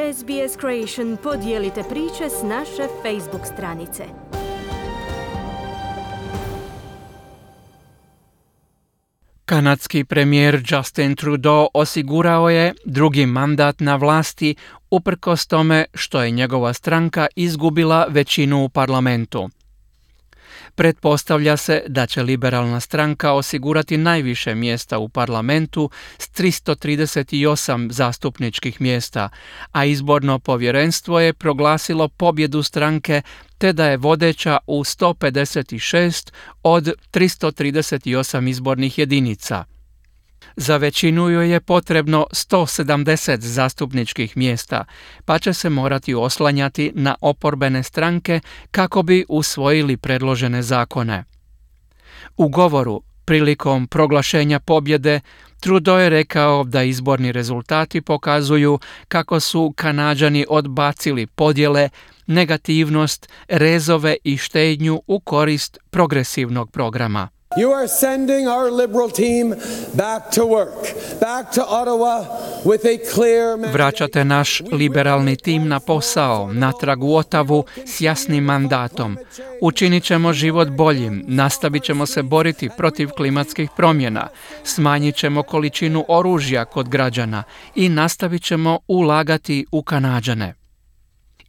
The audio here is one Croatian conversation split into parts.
SBS Creation podijelite priče s naše Facebook stranice. Kanadski premijer Justin Trudeau osigurao je drugi mandat na vlasti uprkos tome što je njegova stranka izgubila većinu u parlamentu. Pretpostavlja se da će liberalna stranka osigurati najviše mjesta u parlamentu s 338 zastupničkih mjesta, a izborno povjerenstvo je proglasilo pobjedu stranke te da je vodeća u 156 od 338 izbornih jedinica. Za većinu joj je potrebno 170 zastupničkih mjesta, pa će se morati oslanjati na oporbene stranke kako bi usvojili predložene zakone. U govoru prilikom proglašenja pobjede Trudeau je rekao da izborni rezultati pokazuju kako su Kanađani odbacili podjele, negativnost, rezove i štednju u korist progresivnog programa. You are sending our Liberal team back to work, back to Ottawa with a clear mandate. Vraćate naš liberalni tim na posao, natrag u Ottawu s jasnim mandatom. Učinit ćemo život boljim, nastavit ćemo se boriti protiv klimatskih promjena, smanjit ćemo količinu oružja kod građana i nastavit ćemo ulagati u Kanađane.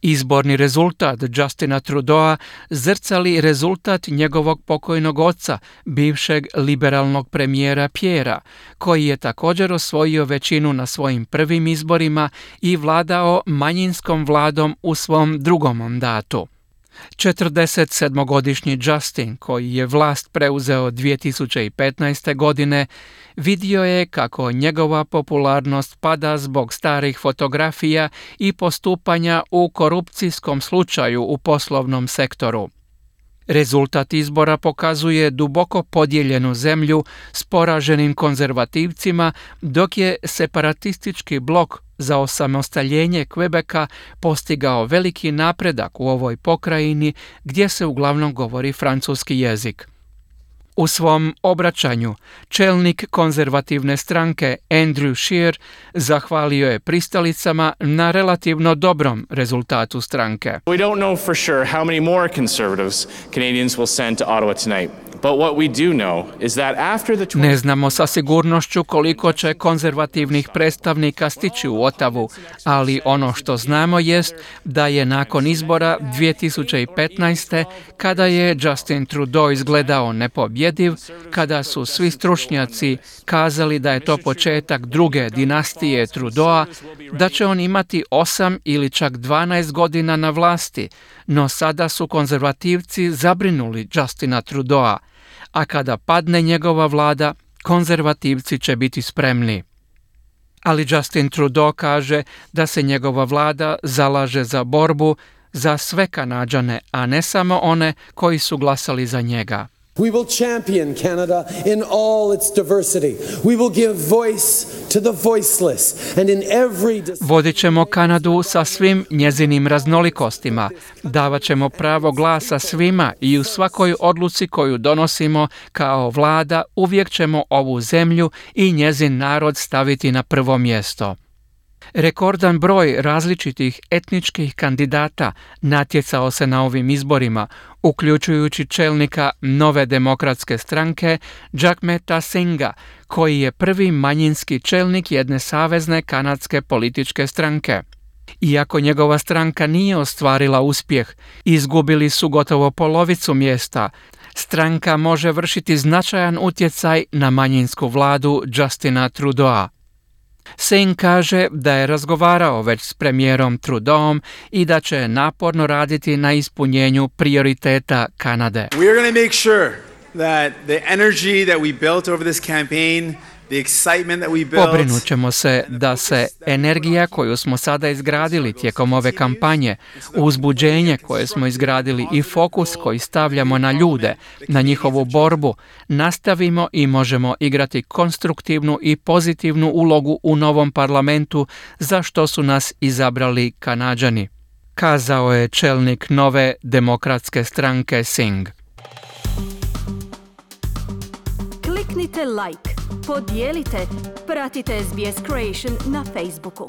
Izborni rezultat Justina Trudeaua zrcali rezultat njegovog pokojnog oca, bivšeg liberalnog premijera Pierrea, koji je također osvojio većinu na svojim prvim izborima i vladao manjinskom vladom u svom drugom mandatu. 47-godišnji Justin, koji je vlast preuzeo 2015. godine, vidio je kako njegova popularnost pada zbog starih fotografija i postupanja u korupcijskom slučaju u poslovnom sektoru. Rezultat izbora pokazuje duboko podijeljenu zemlju s poraženim konzervativcima, dok je separatistički blok za osamostaljenje Quebeca postigao veliki napredak u ovoj pokrajini gdje se uglavnom govori francuski jezik. U svom obraćanju čelnik konzervativne stranke Andrew Scheer zahvalio je pristalicama na relativno dobrom rezultatu stranke. We don't know for sure how many more conservatives Canadians will send to Ottawa tonight. But what we do know is that after the Ne znamo sa sigurnošću koliko će konzervativnih predstavnika stići u Ottawu, ali ono što znamo jest da je nakon izbora 2015. kada je Justin Trudeau izgledao nepobjediv, kada su svi stručnjaci kazali da je to početak druge dinastije Trudeaua, da će on imati 8 ili čak 12 godina na vlasti, no sada su konzervativci zabrinuli Justina Trudeaua, a kada padne njegova vlada, konzervativci će biti spremni. Ali Justin Trudeau kaže da se njegova vlada zalaže za borbu za sve Kanađane, a ne samo one koji su glasali za njega. We will champion Canada in all its diversity. We will give voice to the voiceless and in every Vodit ćemo Kanadu sa svim njezinim raznolikostima. Davat ćemo pravo glasa svima i u svakoj odluci koju donosimo kao vlada uvijek ćemo ovu zemlju i njezin narod staviti na prvo mjesto. Rekordan broj različitih etničkih kandidata natjecao se na ovim izborima, uključujući čelnika Nove demokratske stranke Jagmeeta Singha, koji je prvi manjinski čelnik jedne savezne kanadske političke stranke. Iako njegova stranka nije ostvarila uspjeh, izgubili su gotovo polovicu mjesta. Stranka može vršiti značajan utjecaj na manjinsku vladu Justina Trudeaua. Singh kaže da je razgovarao već s premijerom Trudeauom i da će naporno raditi na ispunjenju prioriteta Kanade. We are going to make sure that the energy that we built over this campaign, the excitement that we built, Pobrinut ćemo se da se energija koju smo sada izgradili tijekom ove kampanje, uzbuđenje koje smo izgradili i fokus koji stavljamo na ljude, na njihovu borbu, nastavimo i možemo igrati konstruktivnu i pozitivnu ulogu u novom parlamentu za što su nas izabrali Kanađani, kazao je čelnik Nove demokratske stranke Singh. Kliknite like, podijelite, pratite SBS Creation na Facebooku.